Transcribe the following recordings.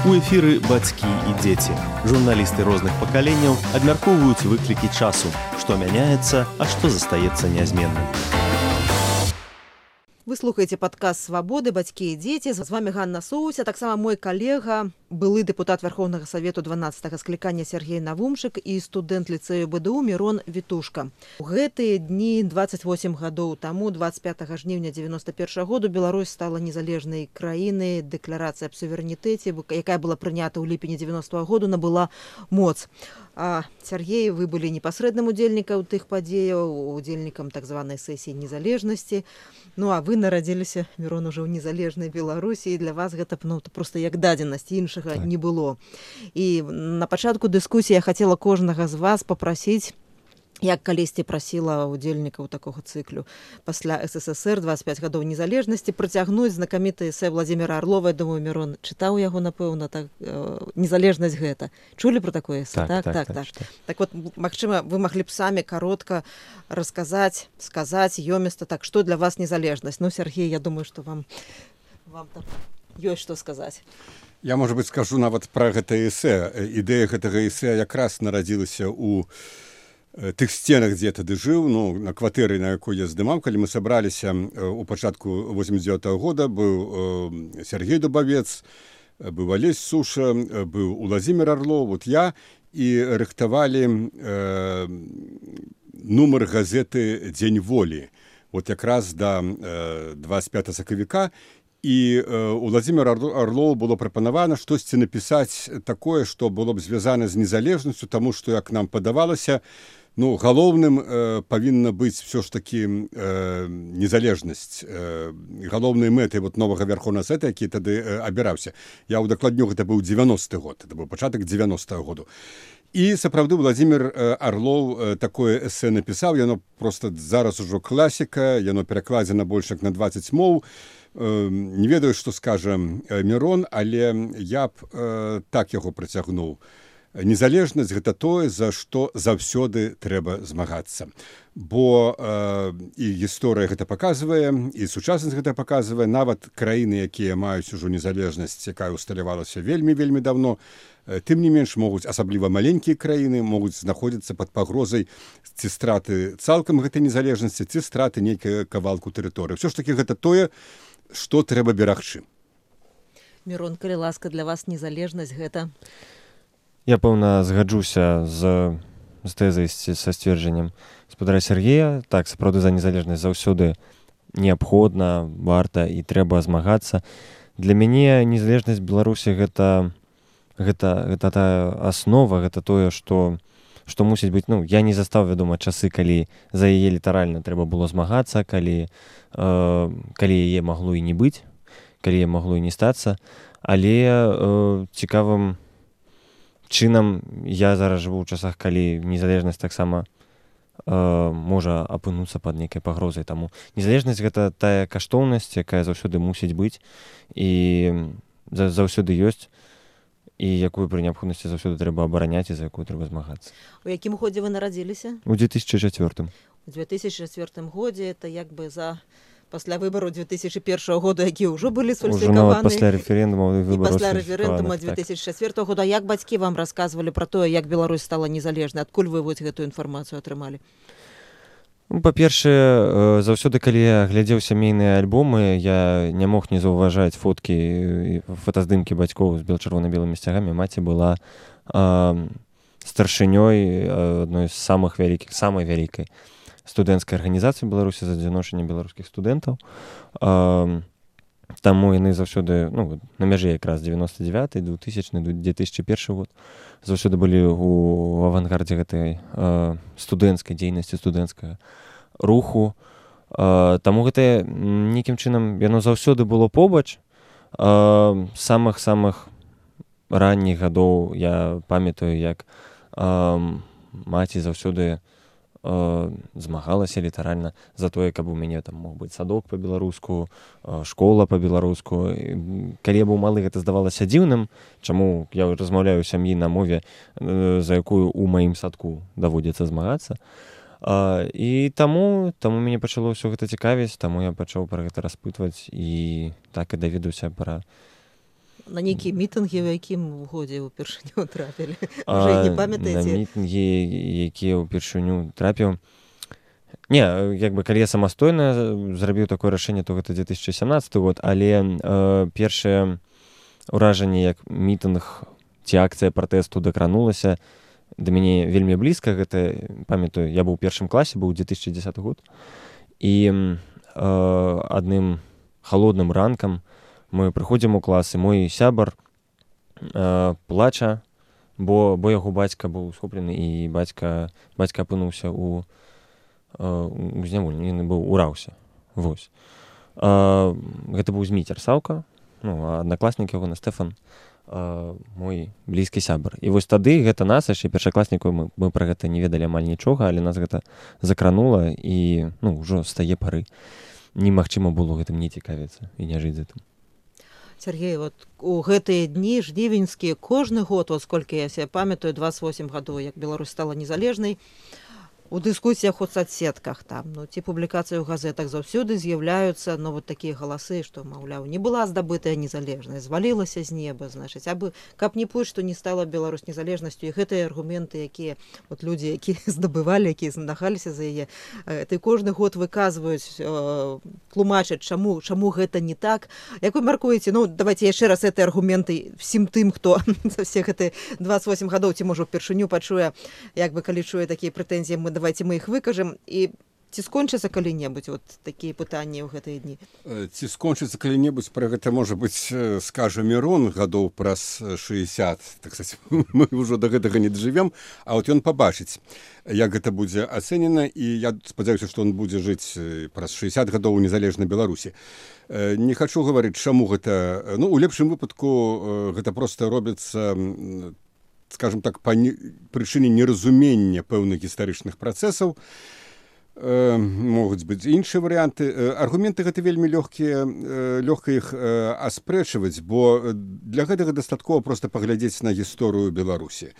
У эфіры бацькі і дзеці. Журналісты розных пакаленняў абмяркоўваюць выклікі часу, што мяняецца, а што застаецца нязменным. Вы слухаеце падкаст «Свабоды. Бацькі і дзеці». З вами Ганна Соуся, таксама мой калега, былы дэпутат Верховнага Савету 12-го склікання Сергей Навумшык і студэнт ліцэю БДУ Мірон Вітушка. У гэтыя дні 28 гадоў таму, 25 жніўня 91 году, Беларусь стала незалежнай краінай. Дэкларацыя аб суверэнітэце, якая была прынята ў ліпені 90-го году, набыла моц. А Сергей, вы былі непасрэдным удзельнікам тых падзеяў, удзельнікам так званай сесіі незалежнасці. Ну а вы нарадзіліся, Мірон, ужо ў незалежнай Беларусі, і для вас гэта проста як дадзенасць, іншага не было. І на пачатку дыскусіі я хацела кожнага з вас папрасіць, як калісьці прасіла удзельнікаў такога цыклю пасля СССР 25 гадоў незалежнасці, працягнуць знакаміты эсэ Владзіміра Арлова. Я думаю, Мірон чытаў яго, напэўна, так, незалежнасць гэта. Чулі пра такое эсэ? Так. Так вот, магчыма, вы маглі б самі каротка расказаць, сказаць ёміста, так, што для вас незалежнасць. Ну, Сергей, я думаю, што вам там ёсць што сказаць. Я, можа быць, скажу нават пра гэта эсэ. Ідэя гэтага эсэ якраз нарадзілася ў тых сценах, дзе я тады жыў, на кватэры, на якой я здымаў. Калі мы сабраліся у пачатку 89-го года, быў Сергей Дубавец, быў Алесь Суша, быў Владзімір Арлоў, вот я, і рыхтавалі нумар газеты «Дзень волі». Вот якраз да 25 сакавіка. І у Владзіміра Арлоў было прапанавана штосьці напісаць такое, што было б звязана з незалежнасцю, таму што, як нам падавалася, галоўным павінна быць все ж такі незалежнасць, галоўнай мэтай новага Верховнага Савета, які тады абіраўся. Я ўдакладню, гэта быў 90-й год, это быў пачатак 90-го году. І сапраўды Владзімір Арлоў такое эсэ напісаў, яно проста зараз ужо класіка, яно перакладзена больш як на 20 моў. Не ведаю, што скажа Мірон, але я б так яго працягнуў. Незалежнасць – гэта тое, за што заўсёды трэба змагацца. Бо і гісторыя гэта паказвае, і сучаснасць гэта паказвае. Нават краіны, якія маюць ужо незалежнасць, якая усталявалася вельмі даўно, тым не менш могуць, асабліва маленькія краіны, могуць знаходзіцца пад пагрозай ці страты цалкам гэтай незалежнасці, ці страты нейкай кавалку тэрыторыі. Усё ж такі гэта тое, што трэба берагчы. Мірон, калі ласка, для вас незалежнасць гэта? Я, пэўна, згаджуся з тэзай, са сцверджаннем гаспадара Сергея. Так, сапраўды, за незалежнасць заўсёды неабходна, варта і трэба змагацца. Для мяне незалежнасць Беларусі гэта тая аснова, гэта тое, што мусіць быць. Я не застаў, вядома, часы, калі за яе літаральна трэба было змагацца, калі яе магло і не быць, калі яе магло і не стацца. Але цікавым чынам я зараз жыву ў часах, калі незалежнасць таксама можа апынуцца пад нейкай пагрозай. Таму незалежнасць гэта тая каштоўнасць, якая заўсёды мусіць быць і заўсёды ёсць, і якую пры неабходнасці заўсёды трэба абараняць і за якую трэба змагацца. У якім годзе вы нарадзіліся? У 2004. У 2004 годзе, это як бы пасля выбару 2001 года, якія ўжо былі сфальсіфікаваны. Ужо нават пасля рэферэндума выбараў. І пасля рэферэндума 2004 года. Як бацькі вам расказвалі пра тое, як Беларусь стала незалежнай? Адкуль вы гэтую інфармацыю атрымалі? Па-першае, заўсёды, калі я глядзеў сямейныя альбомы, я не мог не заўважаць фоткі, фотаздымкі бацькоў з чырвона-белымі сцягамі. Маці была старшынёй адной з самай вялікай студэнцкай арганізацыі Беларусі за адзіночанне беларускіх студэнтаў. Таму яны заўсёды, на мяжы якраз 99-й, 2000-й, 2001 год, заўсёды былі ў авангардзе гэтай студэнцкай дзейнасці, студэнцкага руху. Таму гэта нейкім чынам яно заўсёды было побач. Самых ранніх гадоў я памятаю, як маці заўсёды змагалася літаральна за тое, каб у мяне там мог быць садок па-беларуску, школа па-беларуску. Калі я быў малы, гэта здавалася дзіўным, чаму я размаўляю ў сям'і на мове, за якую ў маім садку даводзіцца змагацца. І таму мяне пачало ўсё гэта цікавіць, таму я пачаў пра гэта распытваць і так і даведаўся пра На нейкія мітынгі, у якім годзе ўпершыню трапілі? Уже не На памятаеце? мітынгі, якія ўпершыню трапіў. Не, як бы, калі я самастойна зрабіў такое рашэнне, то гэта 2017 год, але першае ўражанне, як мітынг ці акцыя пратэсту дакранулася, да мяне вельмі блізка. Гэта, памятаю, я быў у першым класе, быў 2010 год, і адным халодным ранкам мы прыходзім у клас, і мой сябар плача, бо яго бацька быў схоплены, і бацька апынуўся у зняволенні, ён быў ураўся. Вось. Гэта быў Зміцер Саўка, аднакласнік яго, Стэфан, мой блізкі сябар. І вось тады гэта нас, яшчэ першакласнікаў, мы пра гэта не ведалі амаль нічога, але нас гэта закранула, і ўжо з тае пары немагчыма было гэтым не цікавіцца і не жыць з гэтым. Сергей, вот у гэтыя дні жнівеньскія кожны год, вот сколькі я себе памятаю, 28 гадоў, як Беларусь стала незалежнай, у дыскусіях у соцсетках там, ці публікацыі ў газетах заўсёды з'яўляюцца вот такія галасы, што, маўляў, не была здабытая незалежнасць, звалілася з неба, значыць, абы каб не пусть, што не стала Беларусь незалежнасцю, і гэтыя аргументы, якія вот людзі, якія здабывалі, якія знагаліся за яе, ты кожны год выказваюць, тлумачаць, чаму гэта не так. Як вы мяркуеце, давайте яшчэ раз гэтыя аргументы всім тым, хто за все гэтыя 28 гадоў, ці можа ўпершыню пачуе, як бы калі чуе такія прэтэнзіі, давайте мы их выкажем, і ці скончыцца калі-небудзь вот такія пытанні ў гэтыя дні? Ці скончыцца калі-небудзь, пра гэта, можа быць, скажа Мірон гадоў праз 60, так сказать, мы ўжо да гэтага не дажывем, а вот ён пабачыць, як гэта будзе ацэнена, і я спадзяюся, што он будзе жыць праз 60 гадоў у незалежнай Беларусі. Не хачу гаварыць, чаму гэта, у лепшым выпадку гэта проста робіцца, скажем так, па прычыне неразумення пэўных гістарычных працэсаў. Могуць быць іншыя варыянты. Аргументы гэта вельмі лёгка іх аспрэчваць, бо для гэтага дастаткова проста паглядзець на гісторыю Беларусі.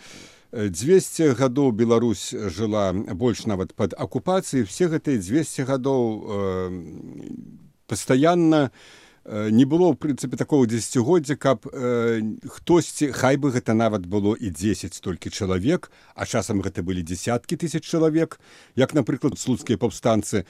200 гадоў Беларусь жыла больш нават пад акупацыяй, все гэтыя 200 гадоў пастаянна не было, в прынцыпе, такого дзесяцігоддзя, каб хтосьці, хай бы гэта нават было і 10 столькі чалавек, а часам гэта былі дзесяткі тысяч чалавек, як, напрыклад, слуцкія паўстанцы,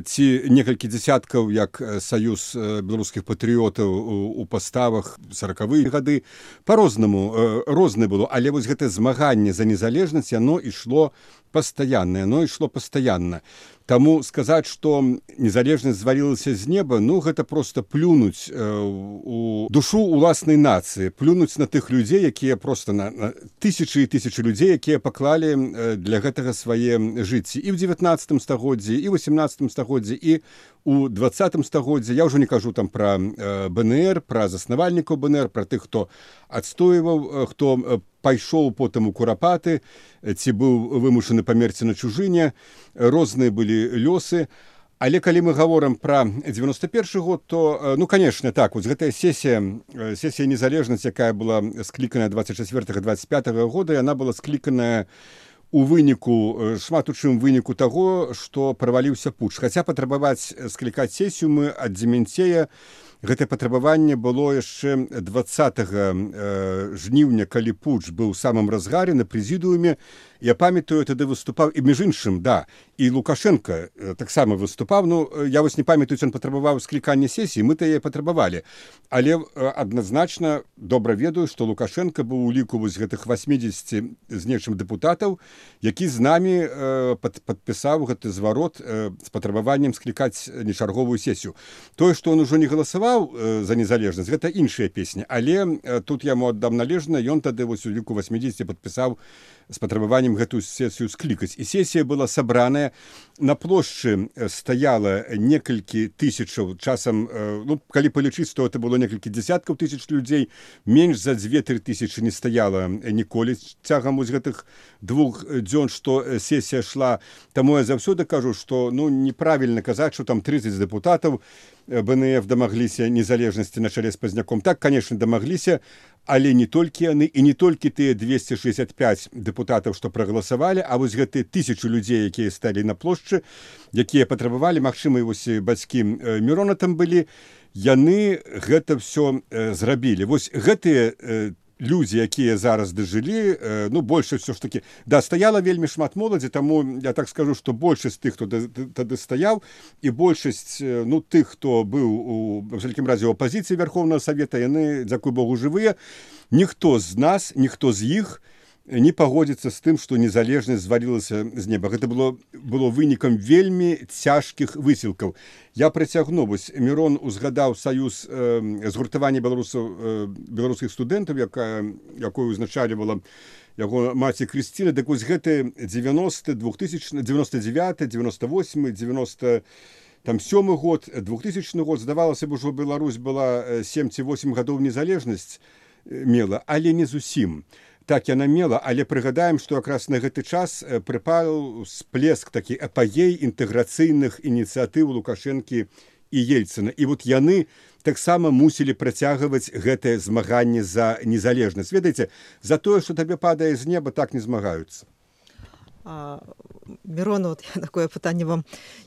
ці некалькі дзесяткаў, як саюз беларускіх патрыётаў у паставах 40-е гады. Па-рознаму, рознае было, але вось гэтае змаганне за незалежнасць, яно ішло пастаянна. Таму сказаць, што незалежнасць звалілася з неба, гэта проста плюнуць у душу уласнай нацыі, плюнуць на тых людзей, якія проста на тысячы і тысячы людзей, якія паклалі для гэтага свае жыцці і ў 19 стагоддзі, і ў 18 стагоддзі, і у 20 стагоддзі. Я ўжо не кажу там пра БНР, пра заснавальнікаў БНР, пра тых, хто адстойваў, хто пайшоў потым у курапаты, ці быў вымушаны памерці на чужыне, розныя былі лёсы. Але калі мы гаворым пра 91 год, то, конечно, так, вот гэтая сесія незалежнасць, якая была скліканая 24-25 года, яна была скліканая у выніку, шмат у чым выніку таго, што праваліўся путч. Хаця патрабаваць склікаць сесію мы ад Дземянцея, гэтае патрабаванне было яшчэ 20 жніўня, калі путч быў у самым разгаре на прэзідыуме. Я памятаю, тады выступаў, і між іншым, і Лукашенко таксама выступаў. Я вось не памятаю, ён патрабаваў склікання сесіі, мы-то яе патрабавалі. Але адназначна добра ведаю, што Лукашенко быў у ліку вось гэтых 80 з нечым дэпутатаў, які з намі падпісаў гэты зварот з патрабаваннем склікаць нечарговую сесію. Тое, што ён ужо не галасаваў за незалежнасць, гэта іншая песня. Але тут яму аддам належна, ён тады вось у ліку 80 падпісаў з патрабаваннем гэтую сесію склікаць. І сесія была сабраная, на плошчы стаяла некалькі тысячаў, часам, калі палічыць, то это было некалькі дзесяткаў тысяч людзей, менш за 2-3 тысячы не стаяла ніколі цягам вось гэтых 2 дзён, што сесія шла. Таму я заўсёды кажу, што неправільна казаць, што там 30 дэпутатаў БНФ дамагліся незалежнасці на чале з Пазняком. Так, конечно, дамагліся, але не толькі яны, і не толькі тыя 265 дэпутатаў, што прагаласавалі, а вось гэтыя 1000 людзей, якія сталі на плошчы, якія патрабавалі, магчыма, і вось бацькі Мірона там былі, яны гэта все зрабілі. Вось гэтыя людзі, якія зараз дажылі, ну, большасць все ж таки, да, стаяла вельмі шмат моладзі, таму я так скажу, што большасць тых, хто тады стаяў, і большасць, ну, тых, хто быў у вялікім разе ў апазіцыі Вярхоўнага Савета, яны, дзякуй Богу, жывыя. Ніхто з нас, ніхто з іх не пагодзіцца з тым, што незалежнасць звалілася з неба. Гэта было вынікам вельмі цяжкіх высілкаў. Я прыцягну, вось Мірон узгадаў саюз згуртавання беларускіх студэнтаў, якую узначальвала яго маці Крысціна. Дык вось гэты 99, 98, 97 год, 2000 год, здавалася б, ужо Беларусь была 7 ці 8 гадоў незалежнасць мела, але не зусім. Так яна мела, але прыгадаем, што якраз на гэты час прыпаў сплеск, такі апагей інтэграцыйных ініцыятыў Лукашэнкі і Ельцына. І вот яны таксама мусілі працягваць гэтае змаганне за незалежнасць. Ведаеце, за тое, што табе падае з неба, так не змагаюцца. Мірон, вот я такое пытанне вам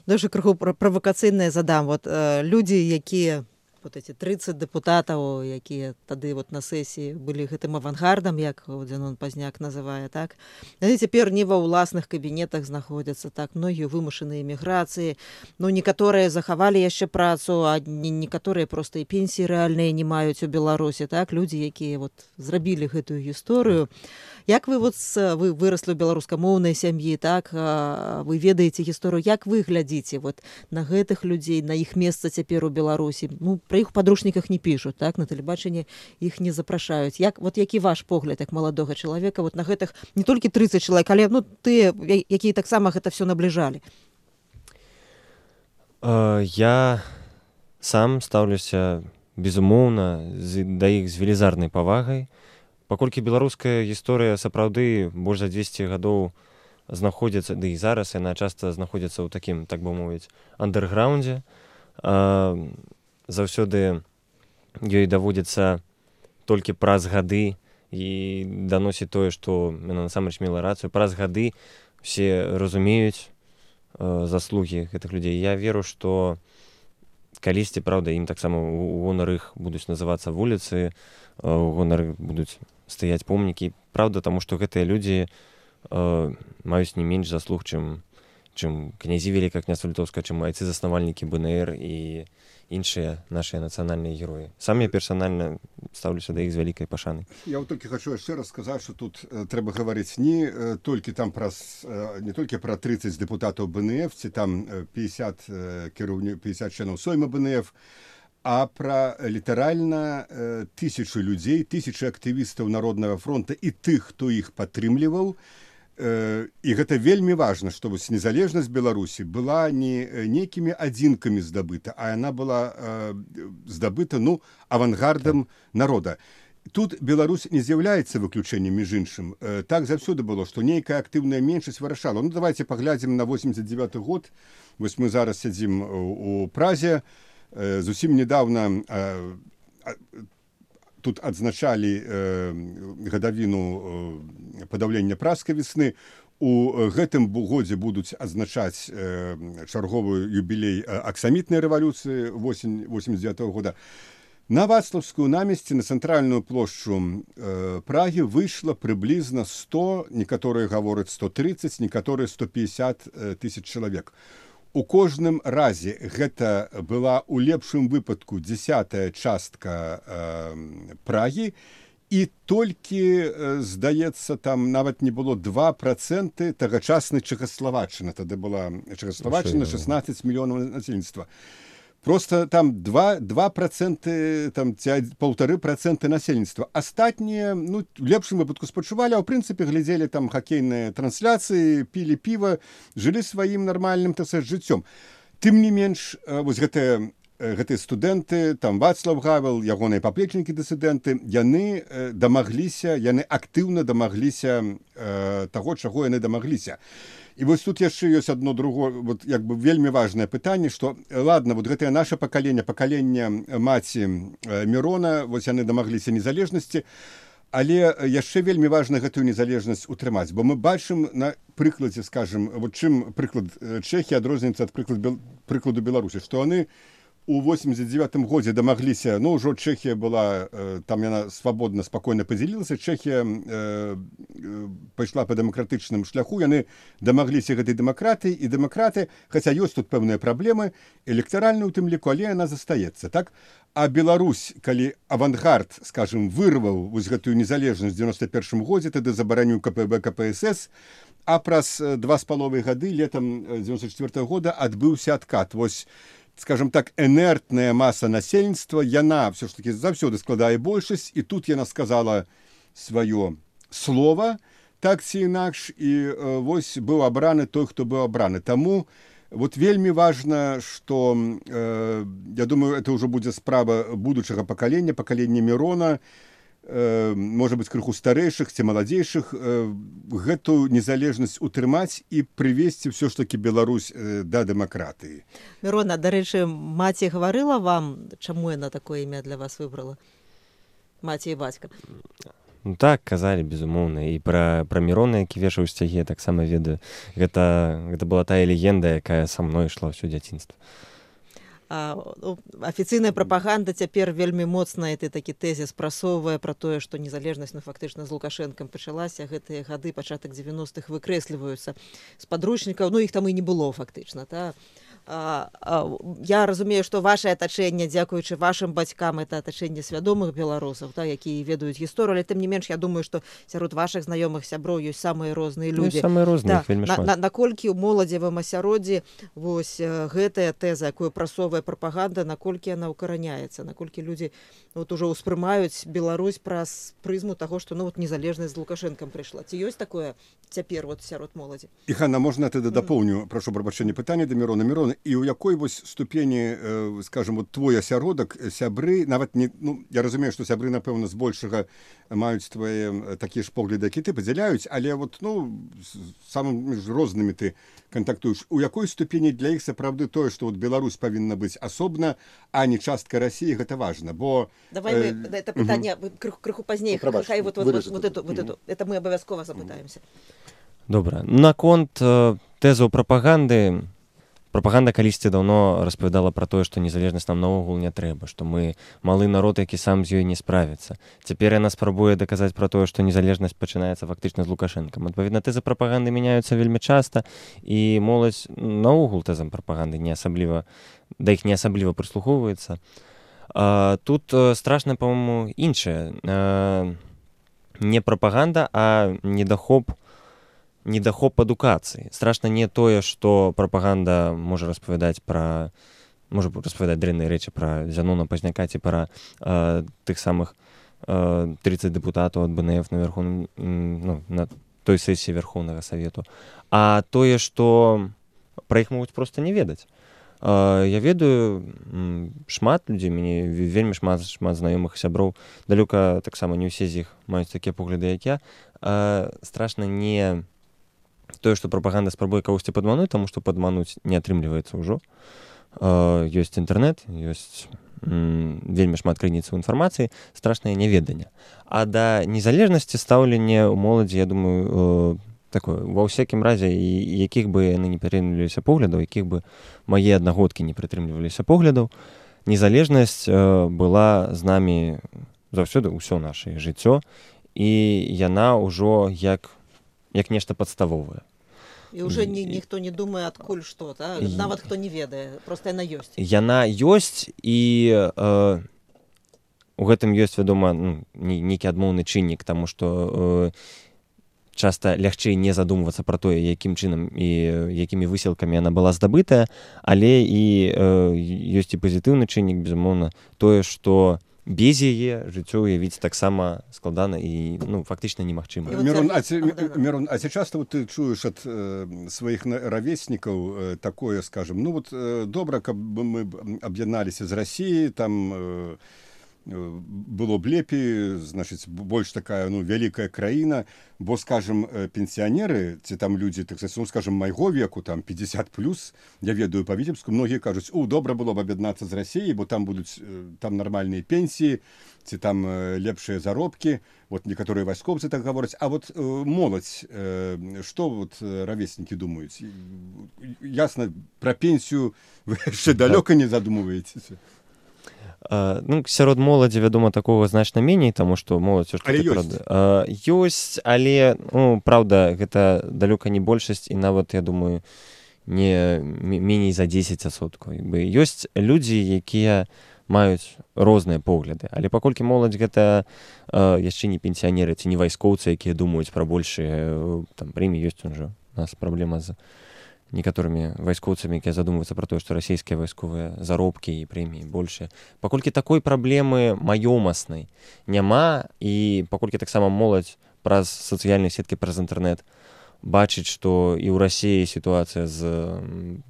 дуже крыху правакацыйнае задам. Вот людзі, якія вот эти 30 дэпутатаў, якія тады вот на сесіі былі гэтым авангардам, як Дзянон Пазняк называе, так? Яны цяпер не ва ўласных кабінетах знаходзяцца, так? Многія вымушаныя эміграцыі. Ну, некаторыя захавалі яшчэ працу, а некаторыя проста і пенсіі рэальныя не маюць у Беларусі, так? Людзі, якія вот зрабілі гэтую гісторыю. Як вы вы выраслі ў беларускамоўнай сям'і, так? Вы ведаеце гісторыю, як вы глядзіце вот на гэтых людзей, на іх месца цяпер у Беларусі? Ну, пра іх у падручніках не пішуць, так? На тэлебачанні іх не запрашаюць. Вот які ваш погляд як маладога чалавека вот на гэтых не толькі 30 чалавек, але ну тыя, якія таксама гэта все набліжалі? Я сам стаўлюся безумоўна да іх з велізарнай павагай. Паколькі беларуская гісторыя сапраўды больш за 200 гадоў знаходзіцца, ды і зараз яна часта знаходзіцца ў такім, так бы мовіць, андэрграўндзе, заўсёды ёй даводзіцца толькі праз гады і даносіць тое, што яна насамрэч мела рацыю. Праз гады все разумеюць заслугі гэтых людзей. Я веру, што калісьці, праўда, ім таксама у гонар іх будуць называцца вуліцы, у гонар будуць стаяць помнікі. Праўда, таму што гэтыя людзі маюць не менш заслуг, чым князі Велікае княства Літоўскае, чым айцы-заснавальнікі БНР і іншыя нашыя нацыянальныя героі. Сам я персанальна стаўлюся да іх з вялікай пашанай. Я вот толькі хачу яшчэ раз сказаць, што тут трэба гаварыць не толькі там пра 30 дэпутатаў БНФ, ці там 50 членаў Сойма БНФ, а пра літаральна 1000 людзей, 1000 актывістаў Народнага фронта і тых, хто іх падтрымліваў. І гэта вельмі важна, што вось незалежнасць Беларусі была не нейкімі адзінкамі здабыта, а яна была здабыта, ну, авангардам народа. Тут Беларусь не з'яўляецца выключэннем, між іншым. Так заўсёды было, што нейкая актыўная меншасць вырашала. Ну, давайте паглядзім на 89 год. Вось мы зараз сядзім у Празе. Зусім недавно тут адзначалі гадавіну падаўлення пражскай весны. У гэтым годзе будуць адзначаць чарговую юбілей аксамітнай рэвалюцыі 89 года. На Вацлаўскую намесці, на цэнтральную плошчу Прагі выйшла прыблізна 100, некаторыя гавораць 130, некаторыя 150 тысяч чалавек. У кожным разе гэта была ў лепшым выпадку 10-я частка Прагі, і толькі, здаецца, там нават не было 2% тагачаснай Чэхаславаччыны. Тады была Чэхаславаччына, 16 мільёнаў насельніцтва. Просто там 2%, там 1,5% насельніцтва. Астатнія, ну, в лепшым выпадку спачувалі, а ў прынцыпе глядзелі там хакейныя трансляцыі, пілі піва, жылі сваім нармальным, так сказаць, жыццём. Тым не менш, вось гэтыя студэнты, там Вацлаў Гавел, ягоныя паплечнікі дысідэнты, яны дамагліся, яны актыўна дамагліся таго, чаго яны дамагліся. І вось тут яшчэ ёсць адно другое, вот як бы вельмі важнае пытанне, што ладно, вот гэтае наша пакаленне маці Мірона, вось яны дамагліся незалежнасці, але яшчэ вельмі важна гэтую незалежнасць утрымаць, бо мы бачым на прыкладзе, скажем, вот чым прыклад Чэхіі адрозніваецца ад прыкладу Беларусі, што яны у 89-м годзе дамагліся, ну, ўжо Чэхія была, там яна свабодна, спакойна падзялілася, Чэхія пайшла па дэмакратычным шляху, яны дамагліся гэтай дэмакратыі, і дэмакраты, хаця ёсць тут пэўныя праблемы, электаральны ў тым ліку, але яна застаецца, так? А Беларусь, калі авангард, скажем, вырваў вось гэтую незалежнасць в 91-м годзе, тады забараніў КПБ, КПСС, а праз 2,5 гады, летом 94-го года, адбыўся адкат. Вось, скажем так, энертная маса насельніцтва, яна все ж таки заўсёды складае большасць, і тут яна сказала сваё слова, так ці інакш, і вось быў абраны той, хто быў абраны. Таму вот вельмі важна, што, я думаю, это ўжо будзе справа будучага пакалення, пакалення Мірона, можа быць, крыху старэйшых ці маладзейшых, гэтую незалежнасць утрымаць і прывесці ўсё ж такі Беларусь да дэмакратыі. Мірона, дарэчы, маці гаварыла вам, чаму яна такое імя для вас выбрала? Маці і бацька. Ну так, казалі, безумоўна. І пра Мірона, які вешаў сцягі, я таксама ведаю. Гэта была тая легенда, якая са мной ішла ўсё дзяцінства. Афіцыйная прапаганда цяпер вельмі моцна такі тэзіс прасоўвае пра тое, што незалежнасць фактычна з Лукашэнкам пачалася, гэтыя гады, пачатак 90-х выкрэсліваюцца з падручнікаў, ну іх там і не было фактычна. Я разумею, што вашае атачэнне, дзякуючы вашым бацькам, это атачэнне свядомых беларусаў, якія ведаюць гісторыю, але тым не менш, я думаю, што сярод вашых знаёмых сяброў ёсць самыя розныя людзі. Самыя розныя, вельмі шмат. Наколькі ў моладзевым асяроддзі вось гэтая тэза, якую прасоўвае прапаганда, наколькі яна ўкараняецца, наколькі людзі вот ужо ўспрымаюць Беларусь праз прызму таго, што ну вот незалежнасць з Лукашэнкам прыйшла. Ці ёсць такое цяпер вот сярод моладзі? І, Ханна, можна тады дапоўню, прашу прабачэння, пытанне да Мірона. Мірона, і ў якой вось ступені, скажем, вот твой асяродак, сябры, нават не, ну, я разумею, што сябры, напэўна, збольшага маюць твае такія ж погляды, які ты падзяляюць, але вот, ну, самымі ж рознымі ты кантактуеш. У якой ступені для іх сапраўды тое, што вот Беларусь павінна быць асобна, а не частка России, гэта важна, бо... Давай мы это пытанне крыху пазней, хай вот эту, это мы абавязкова запытаемся. Добра. Наконт тэзаў прапаганды, прапаганда калісьці даўно распавядала пра тое, што незалежнасць нам наогул не трэба, што мы малы народ, які сам з ёй не справіцца. Цяпер яна спрабуе даказаць пра тое, што незалежнасць пачынаецца фактычна з Лукашэнкам. Адпаведна, тэзы прапаганды мяняюцца вельмі часта, і моладзь наогул тэзам прапаганды не асабліва, да іх не асабліва прыслухоўваецца. Тут страшна, па-моему, іншае. Не прапаганда, а недахоп адукацыі. Страшна не тое, што прапаганда можа распавядаць дрэнныя рэчы пра Зянона Пазняка ці пра тых самых 30 дэпутатаў ад БНФ на той сесіі Верхоўнага Савету. А тое, што пра іх могуць проста не ведаць. Я ведаю шмат людзей, мяне вельмі шмат знаёмых сяброў, далёка таксама не ўсе з іх маюць такія погляды, як я. Страшна не тое, што прапаганда спрабуе кагосьці падмануць, таму што падмануць не атрымліваецца ўжо. Ёсць інтэрнэт, ёсць вельмі шмат крыніцаў інфармацыі, страшнае няведанне. А да незалежнасці стаўленне ў моладзі, я думаю, такое, ва ўсякім разе, якіх бы яны не прытрымліваліся поглядаў, якіх бы мае аднагодкі не прытрымліваліся поглядаў, незалежнасць была з намі заўсёды ўсё нашае жыццё, і яна ўжо як нешта падставовае. І ўжо ніхто не думае, адкуль што, нават хто не ведае, проста яна ёсць. Яна ёсць, і у гэтым ёсць, вядома, нейкі адмоўны чыннік, таму што часта лягчэй не задумвацца пра тое, якім чынам і якімі высілкамі яна была здабытая, але і ёсць і пазітыўны чыннік, безумоўна, тое, што без яе жыццё уявіць таксама складана і фактычна немагчыма. Мірон, а ці часта ты чуеш ад сваіх равеснікаў такое, скажем, добра, каб мы аб'ядналіся з Расіяй, там было б лепей, значыць, больш такая, ну, вялікая краіна, бо, скажем, пенсіянеры, ці там людзі, так сказать, ну, скажем, майго веку, там, 50+, я ведаю па Віцебску, многія кажуць, добра было б аб'яднацца з Расіяй, бо там будуць там нармальныя пенсіі, ці там лепшыя заробкі, вот некаторыя вайскоўцы так гавораць, а вот моладзь, што вот равеснікі думаюць? Ясна, пра пенсію вы яшчэ далёка не задумваецеся? Ну, сярод моладзі, вядома, такога значна меней, таму што моладзь але ёсць. Ёсць, але, ну, праўда, гэта далёка не большасць, і нават, я думаю, не меней за 10%. Ёсць людзі, якія маюць розныя погляды, але паколькі моладзь гэта яшчэ не пенсіянеры ці не вайскоўцы, якія думаюць пра большыя там прэміі, ёсць уже у нас праблема з некаторымі вайскоўцамі, якія задумваюцца пра тое, што расійскія вайсковыя заробкі і прэміі большыя. Паколькі такой праблемы маёмаснай няма, і паколькі таксама моладзь праз сацыяльныя сеткі, праз інтэрнэт бачыць, што і ў Расіі сітуацыя з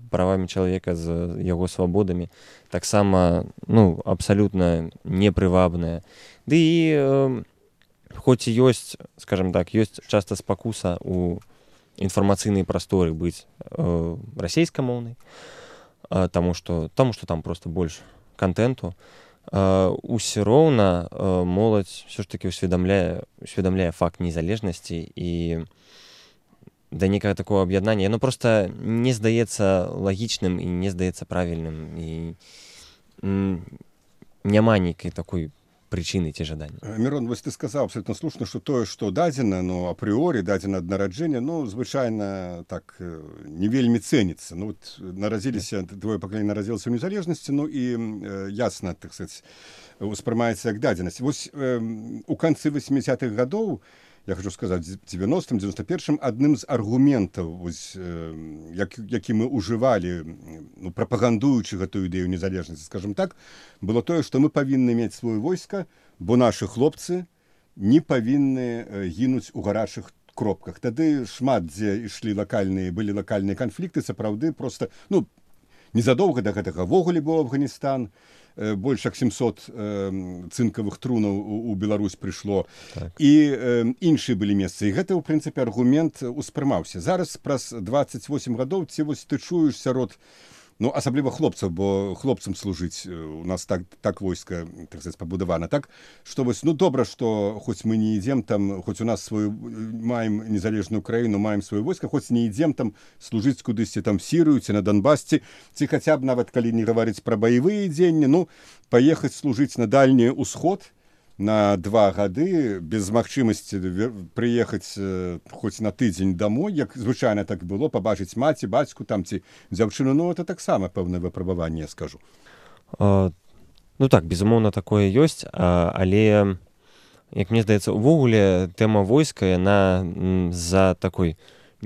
правамі чалавека, з яго свабодамі таксама, ну, абсалютна непрывабная. Ды і хоць і ёсць, скажам так, ёсць часта спакуса ў інфармацыйнай прасторы быць расейскамоўнай, таму што там проста больш кантэнту, усё роўна моладзь ўсё ж такі усведамляе факт незалежнасці, і да некага такого аб'яднання яно проста не здаецца лагічным і не здаецца правільным, і няма нейкай такой прычыны ці жадання. Мірон, вось ты сказаў абсолютно слушна, што тое, што дадзена, ну, апрыорі, дадзена ад нараджэння, ну, звычайна так не вельмі цэніцца. Ну, вот нарадзіліся, твоё пакаленне нарадзілася ў незалежнасці, ну, і ясна, так сказаць, успрымаецца як дадзенасць. Вось у канцы 80-х гадоў, я хочу сказаць, 90-м, 91-м, адным з аргументаў, вось, які мы ўжывалі, ну, прапагандуючы гэтую ідэю незалежнасці, скажем так, было тое, што мы павінны мець сваё войска, бо нашы хлопцы не павінны гінуць у гарачых кропках. Тады шмат дзе былі лакальныя канфлікты, сапраўды, проста, ну, незадоўга да гэтага ввогуле быў Афганістан, больш як 700 цынкавых трунаў у Беларусь прыйшло, так. І іншыя былі месцы. І гэта, ў прынцыпе, аргумент успрымаўся. Зараз, праз 28 гадоў, ці вось ты чуеш сярод, ну, асабліва хлопцаў, бо хлопцам служыць у нас так войска, так сказаць, пабудавана, так, што вось, ну, добра, што хоць мы не ідзем там, хоць у нас маем незалежную краіну, маем сваё войска, хоць не ідзем там служыць кудысьці там Сірыю, ці на Донбасці, ці хаця б нават, калі не гаварыць пра баявыя дзеянні, ну, паехаць служыць на дальні ўсход на 2 гады, без магчымасці прыехаць хоць на тыдзень дамой, як звычайна так было, пабачыць маці, бацьку там ці дзяўчыну, ну, это таксама пэўнае выпрабаванне, я скажу. Ну так, безумоўна, такое ёсць, але, як мне здаецца, увогуле тэма войска, яна з-за такой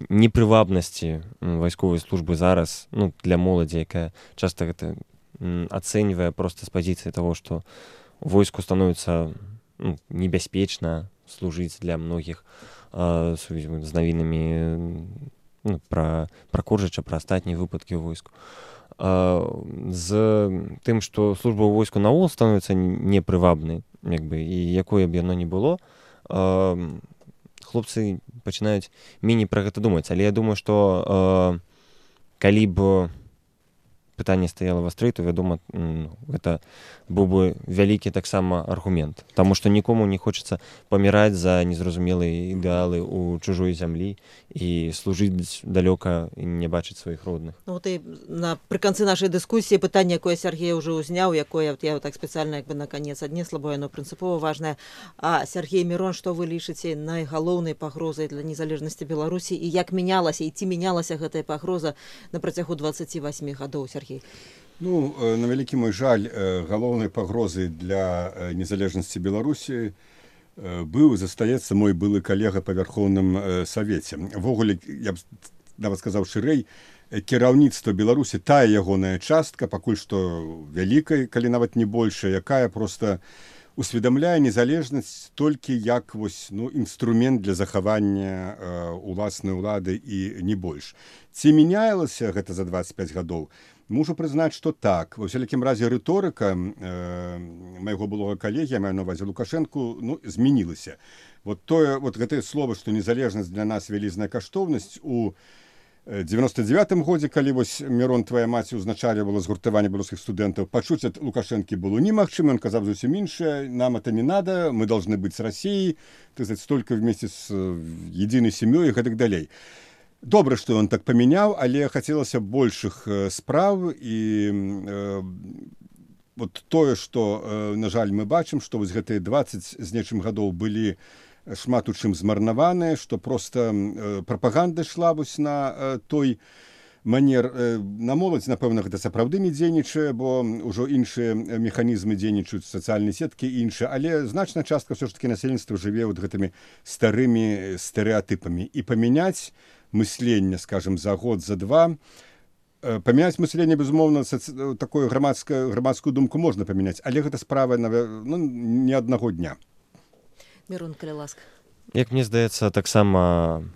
непрывабнасці вайсковай службы зараз, ну, для моладзі, якая часта гэта ацэньвае проста з пазіцыі таго, што войску становіцца, ну, небяспечна служыць для многіх, з навінамі, ну, пра Коржыча, пра астатнія выпадкі ў войску. З тым, што служба ў войску наогул становіцца непрывабнай, як бы, і якое б яно не было, хлопцы пачынаюць меней пра гэта думаць. Але я думаю, што калі б пытанне стаяла вастрэй, то, вядома, гэта быў бы вялікі таксама аргумент. Таму што нікому не хочацца паміраць за незразумелыя ідэалы ў чужой зямлі і служыць далёка і не бачыць сваіх родных. Ну, вот і напрыканцы нашай дыскусіі пытанне, якое Сергей ўжо ўзняў, якое я так спецыяльна як бы на канец аднесла, бо яно прынцыпова важнае. А Сергей, Мірон, што вы лічыце найгалоўнай пагрозай для незалежнасці Беларусі, і як мянялася, і ці мянялася гэтая пагроза на працягу 28 гадоў, Сергей? Ну, на вялікі мой жаль, галоўнай пагрозай для незалежнасці Беларусі быў, застаецца мой былы калега па Вярхоўным Савеце. Ввогуле, я б нават сказаў шырэй, кіраўніцтва Беларусі, тая ягоная частка, пакуль што вялікай, калі нават не большая, якая проста усведамляе незалежнасць толькі як вось, ну, інструмент для захавання уласнай улады і не больш. Ці мянялася гэта за 25 гадоў? Мушу прызнаць, што так. Ва ўсялякім разе рыторыка майго былога калегі, я маю на ўвазе Лукашэнку, змянілася. Вот гэтае слово, што незалежнасць для нас вялізная каштоўнасць у 99-м годзе, калі вось Мірон, твая маці, узначальвала згуртаванне беларускіх студэнтаў, пачуць ад Лукашэнкі было немагчыма, ён казаў зусім іншае, нам это не надо, мы должны быть с Россией, так сказать, только вместе с единой семьей и так далее. Добра, што ён так памяняў, але хацелася большых спраў і вот тое, што, на жаль, мы бачым, што вось гэтыя 20 з нечым гадоў былі шмат у чым змарнаваныя, што проста прапаганда ішла вось на той манер. На моладзь, напэўна, гэта сапраўды не дзейнічае, бо ўжо іншыя механізмы дзейнічаюць, сацыяльныя сеткі і іншыя, але значная частка ўсё ж такі насельніцтва жыве вот гэтымі старымі стэрэатыпамі. І памяняць мысленне, скажем, за год, за два. Памяняць мысленне, безумоўна, такую грамадскую думку можна памяняць, але гэта справа не аднаго дня. Мірон, калі ласка. Як мне здаецца, таксама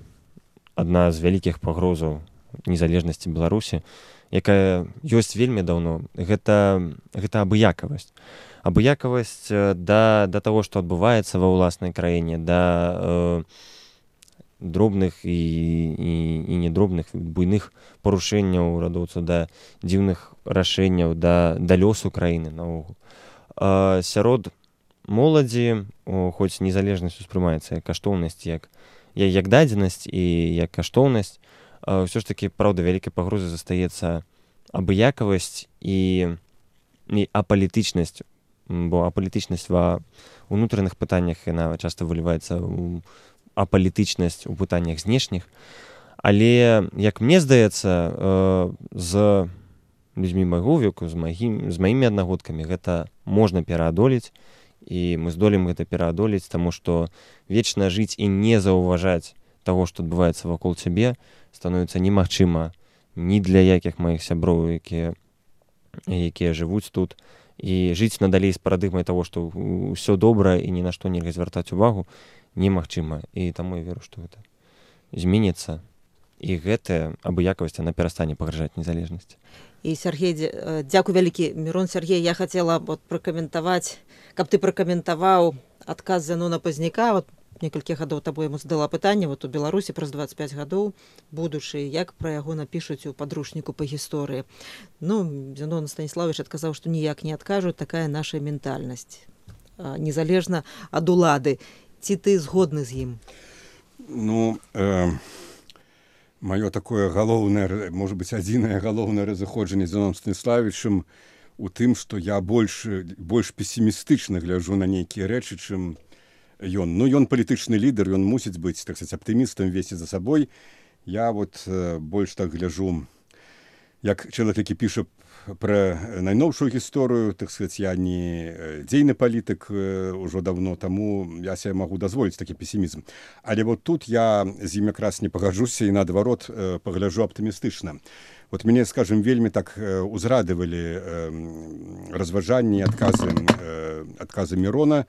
адна з вялікіх пагрозаў незалежнасці Беларусі, якая ёсць вельмі даўно, гэта абыякавасць. Абыякавасць да таго, што адбываецца ва ўласнай краіне, да дробных і недробных, буйных парушэнняў урадоўцаў, да дзіўных рашэнняў, да лёсу краіны наогул. Сярод моладзі, хоць незалежнасць успрымаецца як каштоўнасць, як дадзенасць і як каштоўнасць, ўсё ж такі, праўда, вялікай пагрозай застаецца абыякавасць і апалітычнасць, бо апалітычнасць ва ўнутраных пытаннях, яна часта выліваецца ў апалітычнасць у пытаннях знешніх, але, як мне здаецца, з людзьмі майго веку, з маімі аднагодкамі гэта можна пераадолець, і мы здолеем гэта пераадолець, таму што вечна жыць і не заўважаць таго, што адбываецца вакол цябе, становіцца немагчыма ні для якіх маіх сяброў, якія жывуць тут, і жыць надалей з парадыгмай таго, што ўсё добра і ні на што нельга звяртаць увагу, немагчыма. І таму я веру, што гэта зменіцца, і гэтая абыякавасць, яна перастане пагражаць незалежнасці. І, Сергей, дзякуй вялікі. Мірон, Сергей, я хацела пракаментаваць, каб ты пракаментаваў адказ Зянона Пазняка. Некалькі гадоў табой яму задала пытанне, у Беларусі праз 25 гадоў будучы, як пра яго напішуць у падручніку па гісторыі. Зянон Станіславович адказаў, што ніяк не адкажуць, такая наша ментальнасць, незалежна ад улады. Ці ты згодны з ім? Маё такое галоўнае, можа быць, адзінае галоўнае разыходжанне з Зяноном Станіславовичам у тым, што я больш песімістычна гляджу на нейкія рэчы, чым ён. Ён палітычны лідар, ён мусіць быць, так сказать, аптымістам, весці за сабой. Я больш так гляджу, як чалавек, які піша пра найноўшую гісторыю, так сказать, я не дзейны палітык ужо давно, таму я сябе магу дазволіць такі песімізм. Але тут я з ім якраз не пагаджуся і наадварот пагляджу аптымістычна. Мяне, скажем, вельмі так узрадавалі разважанні, адказы Мірона.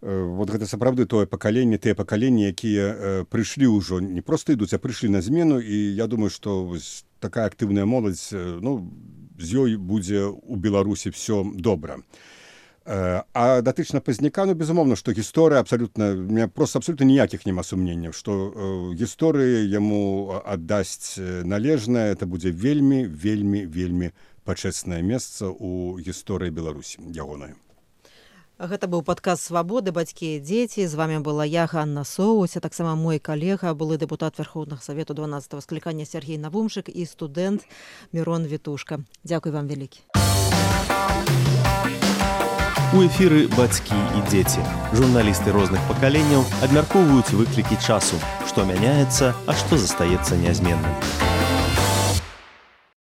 Гэта сапраўды тое пакаленне, тыя пакаленні, якія прыйшлі ўжо, не проста ідуць, а прыйшлі на змену, і я думаю, што такая актыўная моладзь, з ёй будзе ў Беларусі все добра. А датычна Пазняка, безумоўна, што гісторыя абсалютна, у меня просто абсолютно ніякіх няма сумненняў, што гісторыя яму аддасць належнае, это будзе вельмі, вельмі, вельмі пачэснае месца ў гісторыі Беларусі ягонай. Гэта быў падкаст «Свабоды. Бацькі і дзеці». З вами была я, Ганна Соусь, а таксама мой калега, былы дэпутат Верховнага Савету 12-го склікання Сергей Навумшык і студэнт Мірон Вітушка. Дзякуй вам вялікі. У эфіры «Бацькі і дзеці». Журналісты розных пакаленняў абмяркоўваюць выклікі часу, што мяняецца, а што застаецца нязменным.